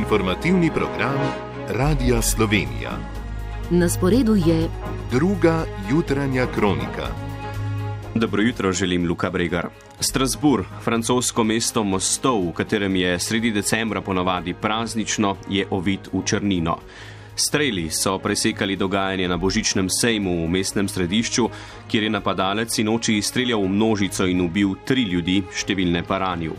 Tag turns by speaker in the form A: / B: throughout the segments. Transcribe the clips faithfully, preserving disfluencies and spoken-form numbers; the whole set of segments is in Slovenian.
A: Informativni program Radia Slovenija.
B: Na sporedu je
A: druga jutranja kronika.
C: Dobro jutro, želim Luka Bregar. Strasbourg, francosko mesto mostov, v katerem je sredi decembra ponavadi praznično, je ovit v črnino. Streli so presekali dogajanje na božičnem sejmu v mestnem središču, kjer je napadalec sinoči streljal v množico in ubil tri ljudi, številne pa ranil.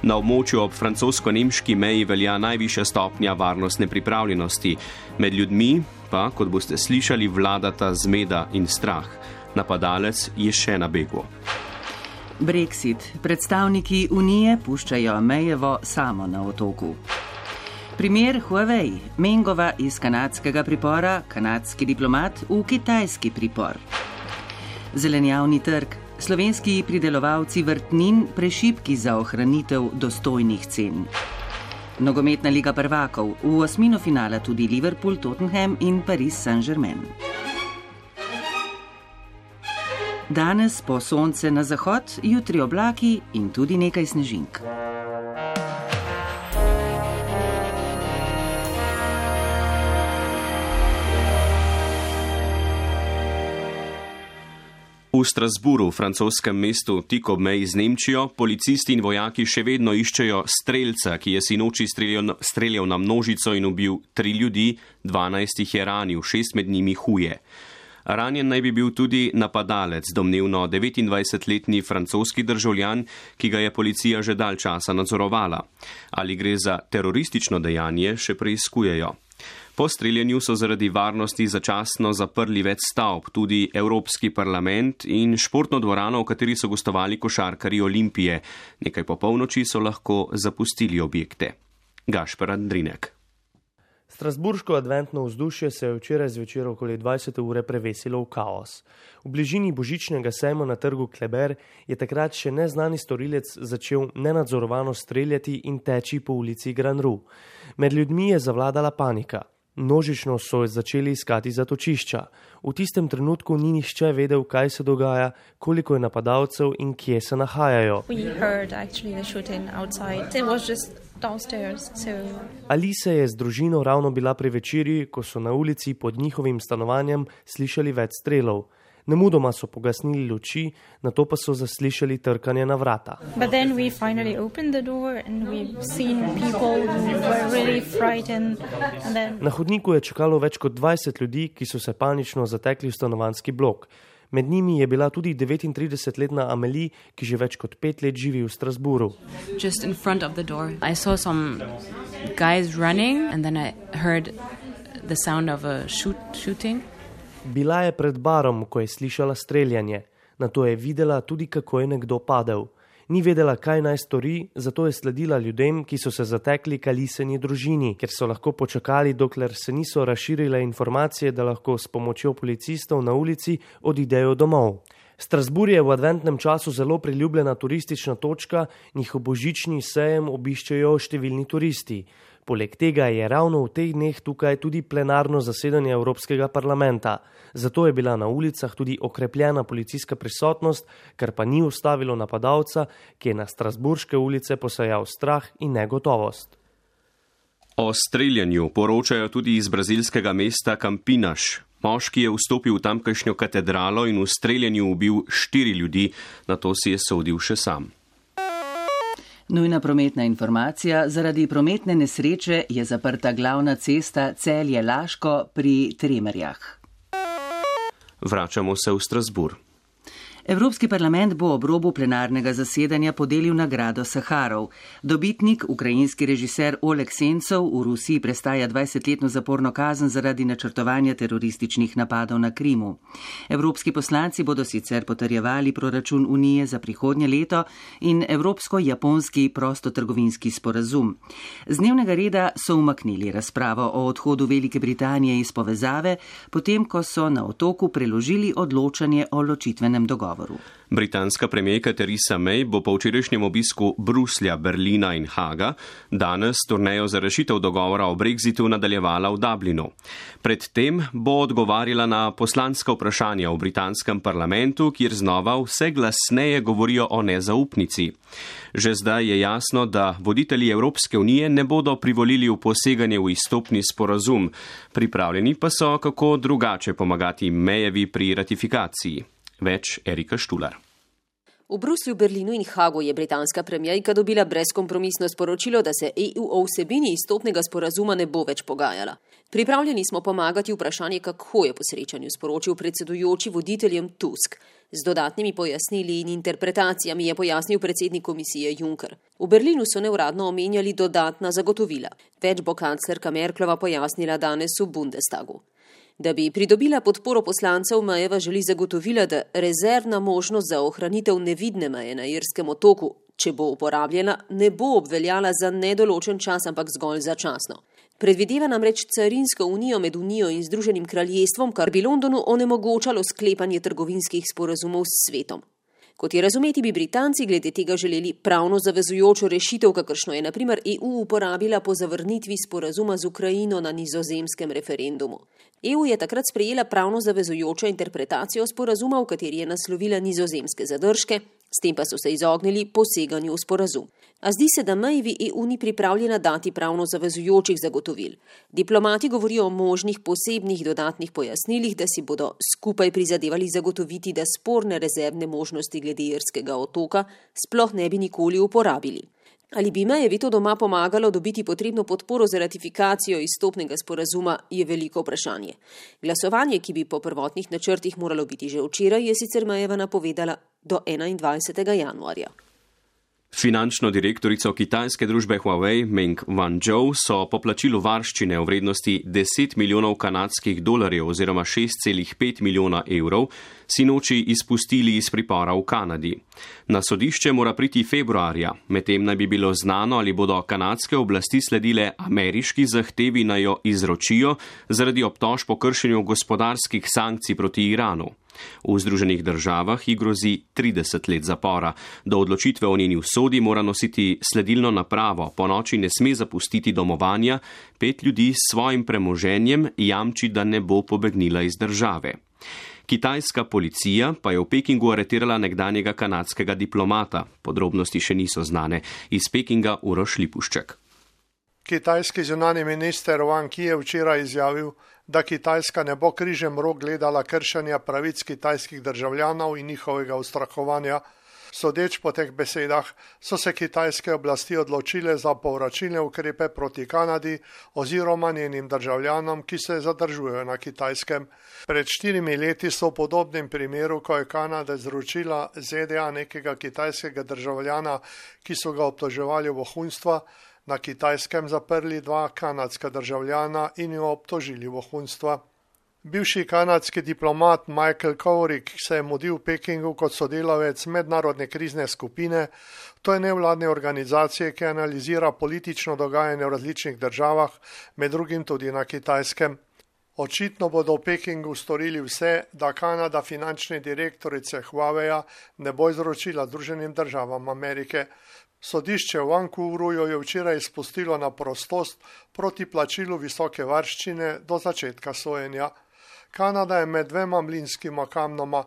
C: Na območju ob francosko-nemški meji velja najvišja stopnja varnostne pripravljenosti. Med ljudmi pa, kot boste slišali, vladata zmeda in strah. Napadalec je še na begu.
D: Brexit. Predstavniki Unije puščajo Mayevo samo na otoku. Primer Huawei. Mengova iz kanadskega pripora, kanadski diplomat v kitajski pripor. Zelenjavni trg. Slovenski pridelovalci vrtnin prešibki za ohranitev dostojnih cen. Nogometna liga prvakov. V osmino finala tudi Liverpool, Tottenham in Paris Saint-Germain. Danes po sonce na zahod, jutri oblaki in tudi nekaj snežink.
C: V Strasbourgu, francoskem mestu tik ob meji z Nemčijo, policisti in vojaki še vedno iščejo strelca, ki je sinoči streljal, streljal na množico in ubil tri ljudi, dvanajst jih je ranil, šest med njimi huje. Ranjen naj bi bil tudi napadalec, domnevno devetindvajsetletni francoski državljan, ki ga je policija že dalj časa nadzorovala. Ali gre za teroristično dejanje, še preiskujejo. Po streljanju so zaradi varnosti začasno zaprli več stavb, tudi Evropski parlament in športno dvorano, v kateri so gostovali košarkarji Olimpije. Nekaj po polnoči so lahko zapustili objekte. Gašper Andrinek.
E: Strasburško adventno vzdušje se je včeraj zvečer okoli dvajsete ure prevesilo v kaos. V bližini božičnega sejma na trgu Kleber je takrat še neznani storilec začel nenadzorovano streljati in teči po ulici Grand Rue. Med ljudmi je zavladala panika. Množično so začeli iskati zatočišča. V tistem trenutku ni nihče vedel, kaj se dogaja, koliko je napadalcev in kje se nahajajo. Alisa je z družino ravno bila pri večerji, ko so na ulici pod njihovim stanovanjem slišali več strelov. Nemudoma so pogasnili luči, nato pa so zaslišali trkanje na vrata.
F: Really then...
E: Na hodniku je čakalo več kot dvajset ljudi, ki so se panično zatekli v stanovanjski blok. Med njimi je bila tudi devetintridesetletna Amélie, ki že več kot pet let živi v Strasbourgu.
G: Just in front of the door. I saw some guys running and then I heard the sound of a shoot, shooting.
E: Bila je pred barom, ko je slišala streljanje. Nato je videla tudi, kako je nekdo padel. Ni vedela, kaj naj stori, zato je sledila ljudem, ki so se zatekli k Alisini družini, ker so lahko počakali, dokler se niso razširile informacije, da lahko s pomočjo policistov na ulici odidejo domov. Strasbourg je v adventnem času zelo priljubljena turistična točka, njihov božični sejem obiščejo številni turisti. Poleg tega je ravno v teh dneh tukaj tudi plenarno zasedanje Evropskega parlamenta. Zato je bila na ulicah tudi okrepljena policijska prisotnost, kar pa ni ustavilo napadalca, ki je na strasbourške ulice posejal strah in negotovost.
C: O streljanju poročajo tudi iz brazilskega mesta Campinas. Moški je vstopil v tamkajšnjo katedralo in v streljanju ubil štiri ljudi, nato si je sodil še sam.
D: Nujna prometna informacija. Zaradi prometne nesreče je zaprta glavna cesta Celje-Laško pri Tremerjah.
C: Vračamo se v Strasbourg.
D: Evropski parlament bo ob robu plenarnega zasedanja podelil nagrado Saharov. Dobitnik, ukrajinski režiser Oleg Sencov, v Rusiji prestaja dvajsetletno zaporno kazen zaradi načrtovanja terorističnih napadov na Krimu. Evropski poslanci bodo sicer potrjevali proračun Unije za prihodnje leto in evropsko-japonski prostotrgovinski sporazum. Z dnevnega reda so umaknili razpravo o odhodu Velike Britanije iz povezave, potem ko so na otoku preložili odločanje o ločitvenem dogovoru. dogovoru.
C: Britanska premijerka Theresa May bo po včerajšnjem obisku Bruslja, Berlina in Haga danes turnejo za rešitev dogovora o brexitu nadaljevala v Dublinu. Predtem bo odgovarjala na poslanska vprašanja v britanskem parlamentu, kjer znova vse glasneje govorijo o nezaupnici. Že zdaj je jasno, da voditelji Evropske unije ne bodo privolili v poseganje v izstopni sporazum. Pripravljeni pa so, kako drugače pomagati Mayevi pri ratifikaciji. Več Erika Štular.
H: V Bruslju, Berlinu in Hagu je britanska premijerka dobila brezkompromisno sporočilo, da se E U o vsebini izstopnega sporazuma ne bo več pogajala. Pripravljeni smo pomagati vprašanje, kako je po srečanju sporočil predsedujoči voditeljem Tusk. Z dodatnimi pojasnili in interpretacijami je pojasnil predsednik komisije Juncker. V Berlinu so neuradno omenjali dodatna zagotovila. Več bo kanclerka Merklova pojasnila danes v Bundestagu. Da bi pridobila podporo poslancev, Mayeva želi zagotovila, da rezervna možnost za ohranitev nevidne meje na Irskem otoku, če bo uporabljena, ne bo obveljala za nedoločen čas, ampak zgolj začasno. Predvideva namreč carinsko unijo med Unijo in Združenim kraljestvom, kar bi Londonu onemogočalo sklepanje trgovinskih sporazumov s svetom. Kot je razumeti, bi Britanci glede tega želeli pravno zavezujočo rešitev, kakršno je na primer E U uporabila po zavrnitvi sporazuma z Ukrajino na nizozemskem referendumu. E U je takrat sprejela pravno zavezujočo interpretacijo sporazuma, v kateri je naslovila nizozemske zadržke, s tem pa so se izognili poseganju v sporazum. A zdi se, da Mayevi E U ni pripravljena dati pravno zavezujočih zagotovil. Diplomati govorijo o možnih posebnih dodatnih pojasnilih, da si bodo skupaj prizadevali zagotoviti, da sporne rezervne možnosti glede Irskega otoka sploh ne bi nikoli uporabili. Ali bi Mayevi to doma pomagalo dobiti potrebno podporo za ratifikacijo izstopnega sporazuma, je veliko vprašanje. Glasovanje, ki bi po prvotnih načrtih moralo biti že včeraj, je sicer Mayeva napovedala do enaindvajsetega januarja.
C: Finančno direktorico kitajske družbe Huawei Meng Wanzhou so po plačilu varščine v vrednosti deset milijonov kanadskih dolarjev oziroma šest celih pet milijona evrov sinoči izpustili iz pripora v Kanadi. Na sodišče mora priti februarja, medtem naj bi bilo znano, ali bodo kanadske oblasti sledile ameriški zahtevi, naj jo izročijo zaradi obtožb o kršenju gospodarskih sankcij proti Iranu. V Združenih državah ji grozi trideset let zapora. Do odločitve o njeni usodi mora nositi sledilno napravo, po noči ne sme zapustiti domovanja, pet ljudi s svojim premoženjem jamči, da ne bo pobegnila iz države. Kitajska policija pa je v Pekingu aretirala nekdanjega kanadskega diplomata. Podrobnosti še niso znane. Iz Pekinga Uroš Lipušček.
I: Kitajski zunanji minister Wang Yi je včeraj izjavil, da Kitajska ne bo križem rok gledala kršenja pravic kitajskih državljanov in njihovega ustrahovanja. Sodeč po teh besedah so se kitajske oblasti odločile za povračilne ukrepe proti Kanadi oziroma njenim državljanom, ki se zadržujejo na Kitajskem. Pred štirimi leti so v podobnem primeru, ko je Kanada izročila Z D A nekega kitajskega državljana, ki so ga obtoževali vohunstva, na Kitajskem zaprli dva kanadska državljana in jo obtožili vohunstva. Bivši kanadski diplomat Michael Kovrig se je mudil v Pekingu kot sodelavec mednarodne krizne skupine. To je nevladne organizacije, ki analizira politično dogajanje v različnih državah, med drugim tudi na Kitajskem. Očitno bodo v Pekingu storili vse, da Kanada finančne direktorice Huaweia ne bo izročila Združenim državam Amerike. Sodišče v Vancouvru jo je včeraj izpustilo na prostost proti plačilu visoke varščine do začetka sojenja. Kanada je med dvema mlinskima kamnoma.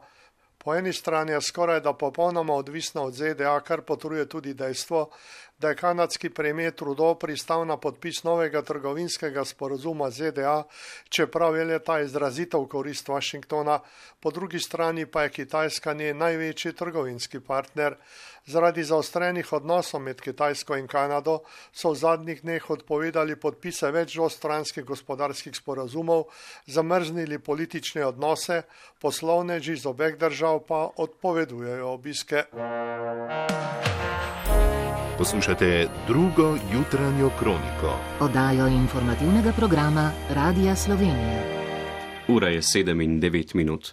I: Po eni strani je skoraj da popolnoma odvisna od Z D A, kar potrjuje tudi dejstvo, da je kanadski premier Trudeau pristal na podpis novega trgovinskega sporazuma Z D A, čeprav je le ta izrazito v korist Washingtona. Po drugi strani pa je Kitajska njen največji trgovinski partner. Zaradi zaostrenih odnosov med Kitajsko in Kanado so v zadnjih dneh odpovedali podpise več dvostranskih gospodarskih sporazumov, zamrznili politične odnose, poslovneži iz obeh držav pa odpovedujejo obiske.
A: Poslušate drugo jutranjo kroniko.
B: Oddajo informativnega programa Radia Slovenija.
C: Ura je sedem in devet minut.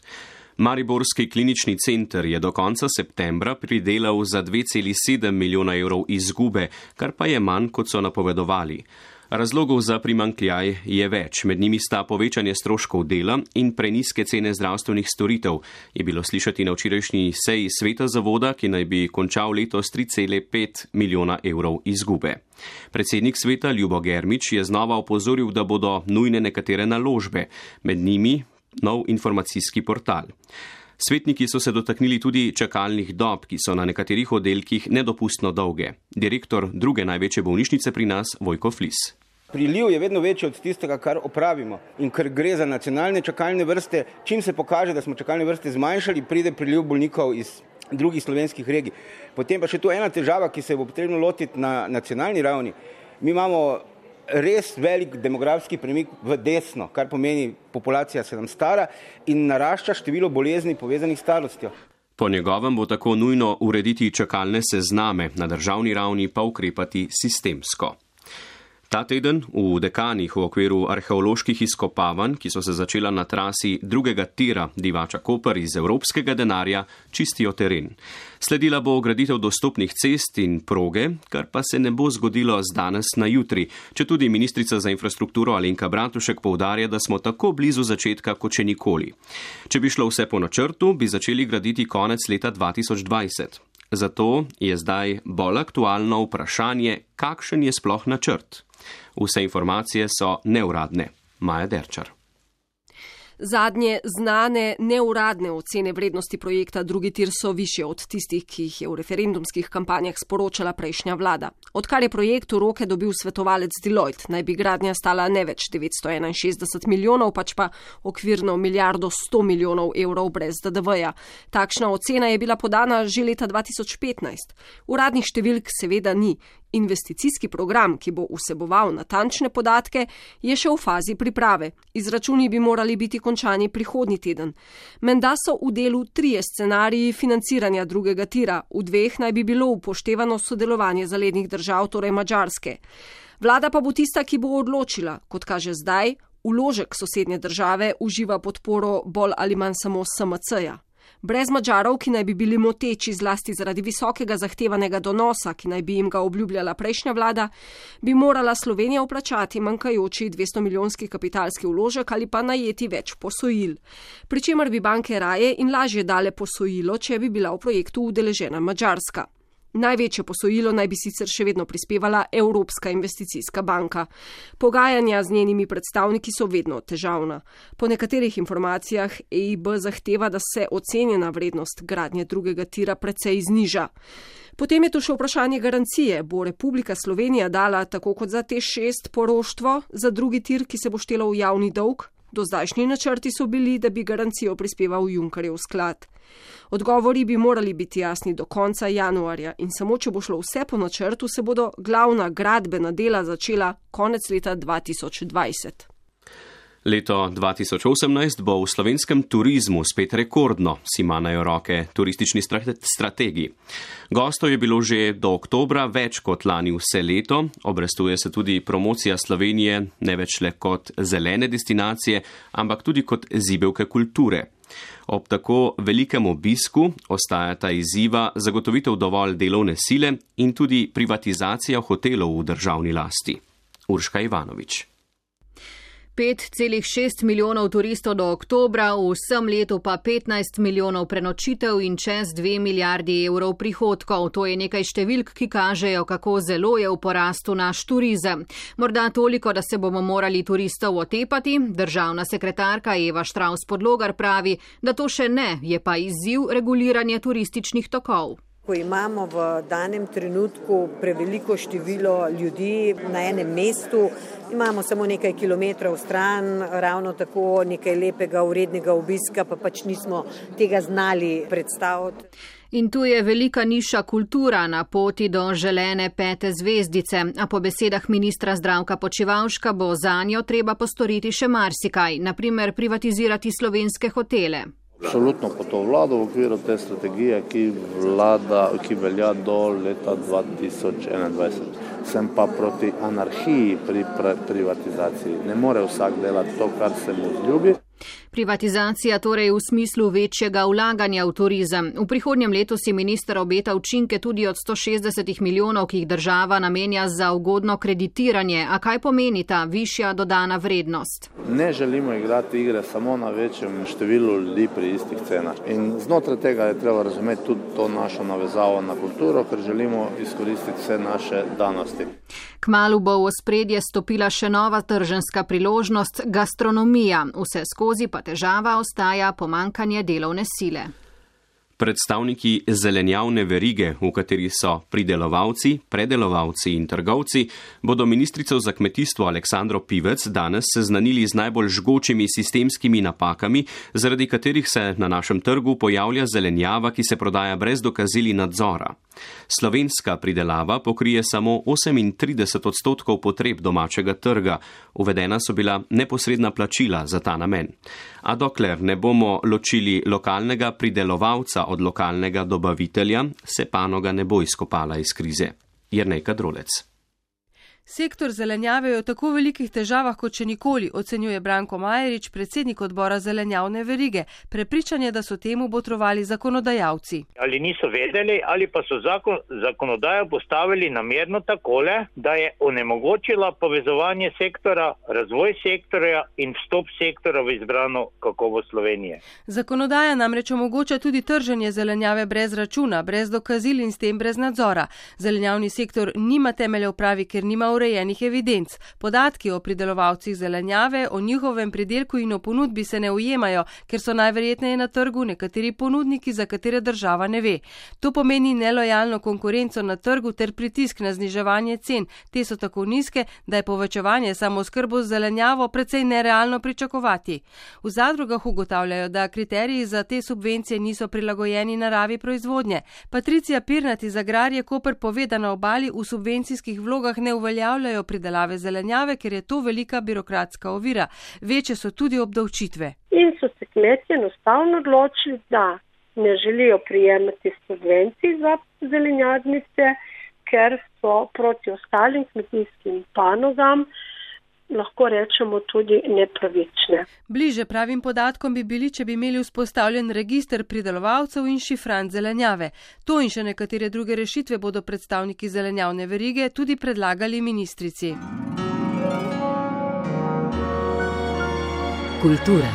C: Mariborski klinični center je do konca septembra pridelal za dve celi sedem milijona evrov izgube, kar pa je manj, kot so napovedovali. Razlogov za primanjkljaj je več, med njimi sta povečanje stroškov dela in prenizke cene zdravstvenih storitev, je bilo slišati na včerajšnji seji sveta zavoda, ki naj bi končal letos tri cele pet milijona evrov izgube. Predsednik sveta Ljubo Germič je znova opozoril, da bodo nujne nekatere naložbe, med njimi nov informacijski portal. Svetniki so se dotaknili tudi čakalnih dob, ki so na nekaterih oddelkih nedopustno dolge. Direktor druge največje bolnišnice pri nas, Vojko Flis.
J: Priliv je vedno večji od tistega, kar opravimo. In ker gre za nacionalne čakalne vrste, čim se pokaže, da smo čakalne vrste zmanjšali, pride priliv bolnikov iz drugih slovenskih regij. Potem pa še tu ena težava, ki se bo potrebno lotiti na nacionalni ravni. Mi imamo res velik demografski premik v desno, kar pomeni, populacija se nam stara in narašča število bolezni povezanih s starostjo.
C: Po njegovem bo tako nujno urediti čakalne sezname, na državni ravni pa ukrepati sistemsko. Ta teden v Dekanih v okviru arheoloških izkopavanj, ki so se začela na trasi drugega tira Divača-Koper iz evropskega denarja, čistijo teren. Sledila bo graditev dostopnih cest in proge, kar pa se ne bo zgodilo z danes na jutri, četudi ministrica za infrastrukturo Alenka Bratušek poudarja, da smo tako blizu začetka kot še nikoli. Če bi šlo vse po načrtu, bi začeli graditi konec leta dva tisoč dvajset. Zato je zdaj bolj aktualno vprašanje, kakšen je sploh načrt. Vse informacije so neuradne. Maja Derčar.
K: Zadnje znane neuradne ocene vrednosti projekta drugi tir so višje od tistih, ki jih je v referendumskih kampanjah sporočala prejšnja vlada. Odkar je projekt v roke dobil svetovalec Deloitte, naj bi gradnja stala ne več devetsto enainšestdeset milijonov, pač pa okvirno milijardo sto milijonov evrov brez D D V-ja. Takšna ocena je bila podana že leta dva tisoč petnajst. Uradnih številk seveda ni. Investicijski program, ki bo vseboval natančne podatke, je še v fazi priprave. Izračuni bi morali biti končani prihodnji teden. Menda so v delu trije scenariji financiranja drugega tira, v dveh naj bi bilo upoštevano sodelovanje zalednih držav, torej Madžarske. Vlada pa bo tista, ki bo odločila, kot kaže zdaj, vložek sosednje države uživa podporo bolj ali manj samo S M C-ja. Brez Madžarov, ki naj bi bili moteči zlasti zaradi visokega zahtevanega donosa, ki naj bi jim ga obljubljala prejšnja vlada, bi morala Slovenija vplačati manjkajoči dvesto milijonski kapitalski vložek ali pa najeti več posojil. Pričemer bi banke raje in lažje dale posojilo, če bi bila v projektu udeležena Madžarska. Največje posojilo naj bi sicer še vedno prispevala Evropska investicijska banka. Pogajanja z njenimi predstavniki so vedno težavna. Po nekaterih informacijah E I B zahteva, da se ocenjena vrednost gradnje drugega tira precej zniža. Potem je tu še vprašanje garancije. Bo Republika Slovenija dala, tako kot za T šest, poroštvo za drugi tir, ki se bo štelo v javni dolg? Do zdajšnji načrti so bili, da bi garancijo prispeval Junckerjev sklad. Odgovori bi morali biti jasni do konca januarja in samo če bo šlo vse po načrtu, se bodo glavna gradbena dela začela konec leta dva tisoč dvajset.
C: Leto dva tisoč osemnajst bo v slovenskem turizmu spet rekordno, si manajo roke turistični strategi. Gostov je bilo že do oktobra več kot lani vse leto, obrestuje se tudi promocija Slovenije ne več le kot zelene destinacije, ampak tudi kot zibelke kulture. Ob tako velikem obisku ostajata izziva zagotovitev dovolj delovne sile in tudi privatizacija hotelov v državni lasti. Urška Ivanovič.
L: pet celih šest milijonov turistov do oktobra, v vsem letu pa petnajst milijonov prenočitev in čez dve milijardi evrov prihodkov. To je nekaj številk, ki kažejo, kako zelo je v porastu naš turizem. Morda toliko, da se bomo morali turistov otepati. Državna sekretarka Eva Štravs-Podlogar pravi, da to še ne, je pa izziv reguliranje turističnih tokov.
M: Ko imamo v danem trenutku preveliko število ljudi na enem mestu, imamo samo nekaj kilometrov stran, ravno tako nekaj lepega, urednega obiska, pa pač nismo tega znali predstaviti.
L: In tu je velika niša kultura na poti do želene pete zvezdice, a po besedah ministra Zdravka Počivalška bo zanjo treba postoriti še marsikaj, na primer privatizirati slovenske hotele.
N: Absolutno po to vlado v okviru te strategije, ki, vlada, ki velja do leta dva tisoč enaindvajset. Sem pa proti anarhiji pri privatizaciji. Ne more vsak delati to, kar se mu zljubi.
L: Privatizacija torej v smislu večjega vlaganja v turizem. V prihodnjem letu si minister obeta učinke tudi od sto šestdeset milijonov, ki jih država namenja za ugodno kreditiranje. A kaj pomeni ta višja dodana vrednost?
N: Ne želimo igrati igre samo na večjem številu ljudi pri istih cenah. In znotraj tega je treba razumeti tudi to našo navezavo na kulturo, ker želimo izkoristiti vse naše danosti.
L: Kmalu bo v ospredje stopila še nova trženska priložnost, gastronomija. Vse skozi pa težava ostaja pomankanje delovne sile.
C: Predstavniki zelenjavne verige, v kateri so pridelovalci, predelovalci in trgovci, bodo ministrico za kmetijstvo Aleksandro Pivec danes seznanili z najbolj žgočimi sistemskimi napakami, zaradi katerih se na našem trgu pojavlja zelenjava, ki se prodaja brez dokazil in nadzora. Slovenska pridelava pokrije samo osemintrideset odstotkov potreb domačega trga, uvedena so bila neposredna plačila za ta namen. A dokler ne bomo ločili lokalnega pridelovalca od lokalnega dobavitelja, se panoga ne bo izkopala iz krize. Jernej Kadrolec.
O: Sektor zelenjave je v tako velikih težavah kot še nikoli, ocenjuje Branko Majerič, predsednik odbora zelenjavne verige. Prepričan je, da so temu botrovali zakonodajalci.
P: Ali niso vedeli, ali pa so zakon, zakonodajo postavili namerno takole, da je onemogočila povezovanje sektora, razvoj sektorja in vstop sektora v izbrano kakovost Slovenije.
O: Zakonodaja namreč omogoča tudi trženje zelenjave brez računa, brez dokazil in s tem brez nadzora. Zelenjavni sektor nima temelja v pravi, ker nima urejenih evidenc. Podatki o pridelovalcih zelenjave, o njihovem pridelku in o ponudbi se ne ujemajo, ker so najverjetneje na trgu nekateri ponudniki, za katere država ne ve. To pomeni nelojalno konkurenco na trgu ter pritisk na zniževanje cen. Te so tako nizke, da je povečevanje samooskrbo z zelenjavo precej nerealno pričakovati. V zadrugah ugotavljajo, da kriteriji za te subvencije niso prilagojeni naravi proizvodnje. Patricija Pirnat iz Agrarije Koper pove, da na obali v subvencijskih vlogah ne uveljajo pridelave zelenjave, ker je to velika birokratska ovira. Večje so tudi obdavčitve.
Q: In so se kmetje enostavno odločili, da ne želijo prijemati subvencij za zelenjadnice, ker so proti ostalim kmetijskim panogam, lahko rečemo, tudi nepravične.
O: Bliže pravim podatkom bi bili, če bi imeli vzpostavljen register pridelovalcev in šifrant zelenjave. To in še nekatere druge rešitve bodo predstavniki zelenjavne verige tudi predlagali ministrici.
B: Kultura.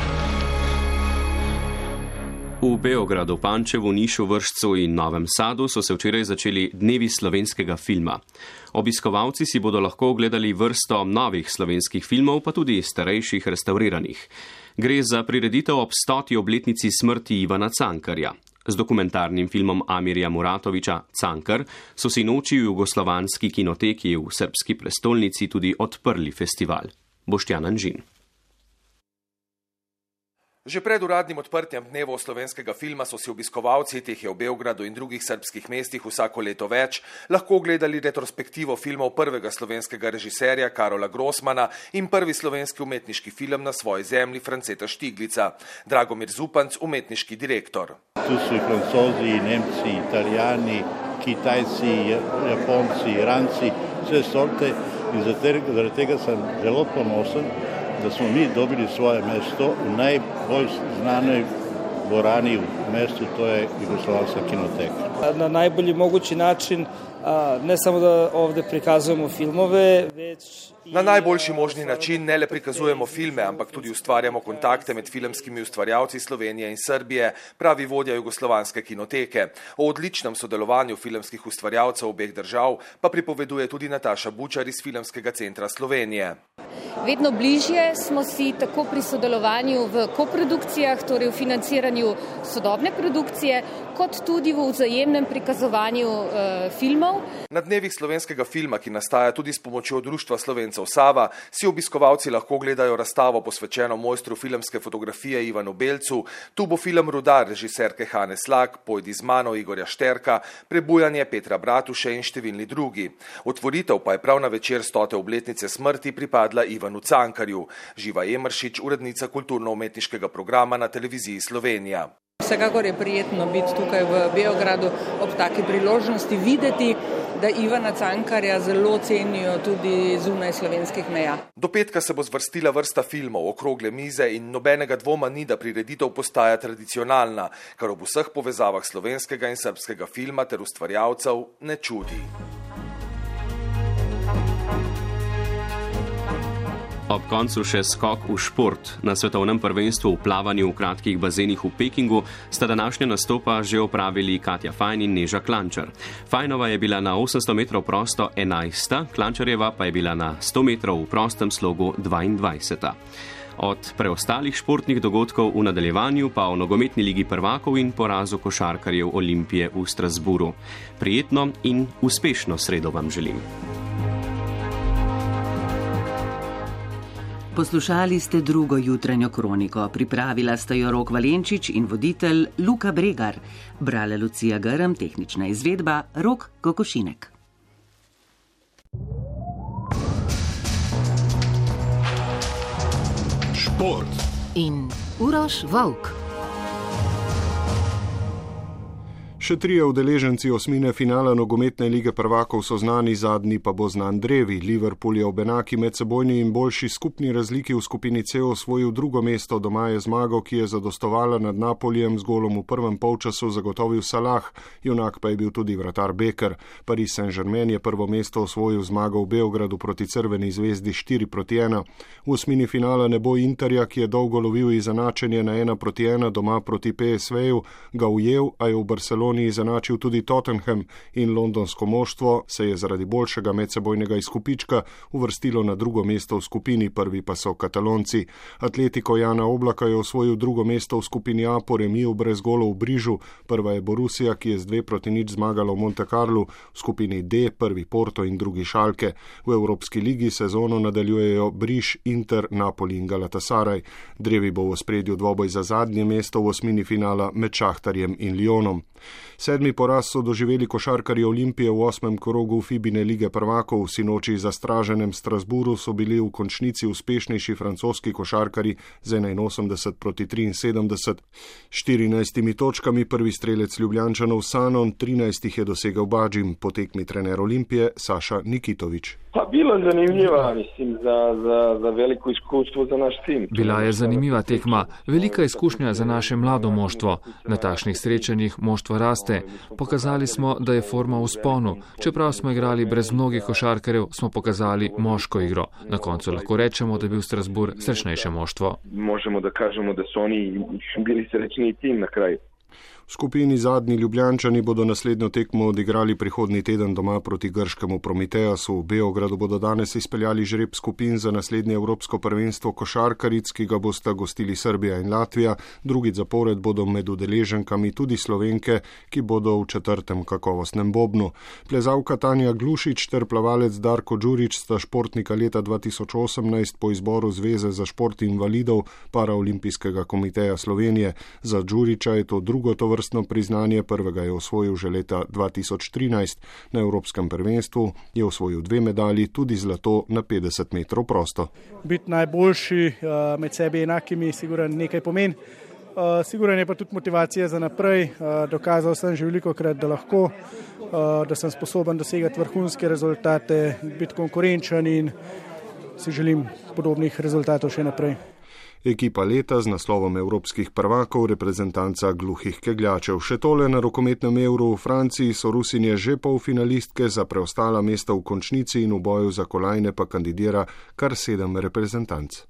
C: V Beogradu, Pančevu, Nišu, Vršcu in Novem Sadu so se včeraj začeli dnevi slovenskega filma. Obiskovalci si bodo lahko ogledali vrsto novih slovenskih filmov, pa tudi starejših restauriranih. Gre za prireditev ob stoti obletnici smrti Ivana Cankarja. Z dokumentarnim filmom Amirja Muratoviča Cankar so si noči v jugoslovanski kinoteki v srbski prestolnici tudi odprli festival. Boštjan Anžin.
R: Že pred uradnim odprtjem dnevov slovenskega filma so si obiskovalci, teh je v Beogradu in drugih srbskih mestih vsako leto več, lahko ogledali retrospektivo filmov prvega slovenskega režiserja Karola Grossmana in prvi slovenski umetniški film Na svoji zemlji Franceta Štiglica. Dragomir Zupanc, umetniški direktor.
S: Tu so i Francozi, i Nemci, Italijani, Kitajci, Japonci, Iranci, vse sorte in zaradi tega sem zelo ponosen, da smo mi dobili svoje mesto v najbolj znanoj dvorani v mestu, to je Jugoslovanska kinoteka.
T: Na najbolji mogući način, ne samo da ovde prikazujemo filmove, već...
R: Na najboljši možni način ne le prikazujemo filme, ampak tudi ustvarjamo kontakte med filmskimi ustvarjalci Slovenije in Srbije, pravi vodja Jugoslovanske kinoteke. O odličnem sodelovanju filmskih ustvarjalcev obeh držav pa pripoveduje tudi Nataša Bučar iz Filmskega centra Slovenije.
U: Vedno bližje smo si tako pri sodelovanju v koprodukcijah, torej v financiranju sodobne produkcije, kot tudi v vzajemnem prikazovanju e, filmov.
R: Na dnevih slovenskega filma, ki nastaja tudi s pomočjo Društva Slovencev Sava, si obiskovalci lahko gledajo razstavo posvečeno mojstru filmske fotografije Ivanu Belcu. Tu bo film Rudar režiserke Hane Slak, Pojdi z mano Igorja Šterka, Prebujanje Petra Bratuše in številni drugi. Otvoritev pa je prav na večer stote obletnice smrti pripadla Ivanu Cankarju. Živa Emeršič, urednica kulturno-umetniškega programa na televiziji Slovenija.
V: Vsekakor je prijetno biti tukaj v Beogradu ob taki priložnosti, videti,
F: da Ivana Cankarja zelo cenijo tudi zunaj slovenskih meja.
R: Do petka se bo zvrstila vrsta filmov, okrogle mize in nobenega dvoma ni, da prireditev postaja tradicionalna, kar ob vseh povezavah slovenskega in srbskega filma ter ustvarjalcev ne čudi.
C: Ob koncu še skok v šport. Na svetovnem prvenstvu v plavanju v kratkih bazenih v Pekingu sta današnja nastopa že opravili Katja Fajn in Neža Klančar. Fajnova je bila na osemsto metrov prosto enajsta, Klančarjeva pa je bila na sto metrov v prostem slogu dvaindvajseta. Od preostalih športnih dogodkov v nadaljevanju pa o nogometni ligi prvakov in porazu košarkarjev Olimpije v Strasburu. Prijetno in uspešno sredo vam želim.
D: Poslušali ste drugo jutranjo kroniko. Pripravila sta jo Rok Valenčič in voditelj Luka Bregar. Brala Lucija Grm, tehnična izvedba Rok Kokošinek.
A: Šport
B: in Uroš Volk.
V: Še trije udeleženci osmine finala nogometne lige prvakov so znani, zadnji pa bo znan drevi. Liverpool je ob enaki medsebojni in boljši skupni razliki v skupini C osvojil drugo mesto. Doma je zmago, ki je zadostovala nad Napolijem z golom v prvem polčasu, zagotovil Salah, junak pa je bil tudi vratar Beker. Paris Saint-Germain je prvo mesto osvojil zmago v Beogradu proti Crveni zvezdi štiri proti ena. V osmini finala ne bo Interja, ki je dolgo lovil izenačenje na ena proti ena doma proti P S V-ju, ga ujel, a je v Barceloni izenačil tudi Tottenham in londonsko moštvo se je zaradi boljšega medsebojnega izkupička uvrstilo na drugo mesto v skupini, prvi pa so Katalonci. Atletico Jana Oblaka je osvojil drugo mesto v skupini A po remiju brez golov v Brižu, prva je Borussia, ki je z dve proti nič zmagala v Monte Carlu, v skupini D prvi Porto in drugi Schalke. V Evropski ligi sezono nadaljujejo Briž, Inter, Napoli in Galatasaray. Drevi bo v ospredju dvoboj za zadnje mesto v osmini finala med Šahtarjem in Lyonom. Sedmi poraz so doživeli košarkarji Olimpije v osmem krogu Fibine lige prvakov. Sinoči za straženem Strasburu so bili v končnici uspešnejši francoski košarkarji z enainosemdeset proti triinsedemdeset. štirinajstimi točkami prvi strelec Ljubljančanov Sanon, trinajst jih je dosegel Badžim, po tekmi trener Olimpije Saša Nikitović.
W: Pa bila zanimiva, mislim, za, za, za veliko izkustvo za naš tim.
X: Bila je zanimiva tekma, velika izkušnja za naše mlado moštvo. Na takšnih srečanjih moštvo raste. Pokazali smo, da je forma v sponu. Čeprav smo igrali brez mnogih košarkarjev, smo pokazali moško igro. Na koncu lahko rečemo, da je bil Strasbourg srečnejše moštvo.
W: Možemo da kažemo, da so oni bili srečniji tim na kraju.
V: V skupini zadnji Ljubljančani bodo naslednjo tekmo odigrali prihodnji teden doma proti grškemu Prometeasu. V Beogradu bodo danes izpeljali žreb skupin za naslednje evropsko prvenstvo košarkaric, ki ga bosta gostili Srbija in Latvija. Drugi zapored bodo med udeleženkami tudi Slovenke, ki bodo v četrtem kakovostnem bobnu. Plezalka Tanja Glušič ter plavalec Darko Đurić sta športnika leta dva tisoč osemnajst po izboru Zveze za šport invalidov Paraolimpijskega komiteja Slovenije. Za Đurića je to drugo tovrstno priznanje, prvega je osvojil že leta dva tisoč trinajst. Na evropskem prvenstvu je osvojil dve medalji, tudi zlato na petdeset metrov prosto.
Y: Biti najboljši med sebi enakimi sigurno nekaj pomeni. Sigurno je pa tudi motivacija za naprej. Dokazal sem že velikokrat, da lahko, da sem sposoben dosegati vrhunske rezultate, biti konkurenčen in si želim podobnih rezultatov še naprej.
V: Ekipa leta z naslovom evropskih prvakov, reprezentanca gluhih kegljačev. Še tole na rokometnem Euru v Franciji so Rusinje že polfinalistke, za preostala mesta v končnici in v boju za kolajne pa kandidira kar sedem reprezentanc.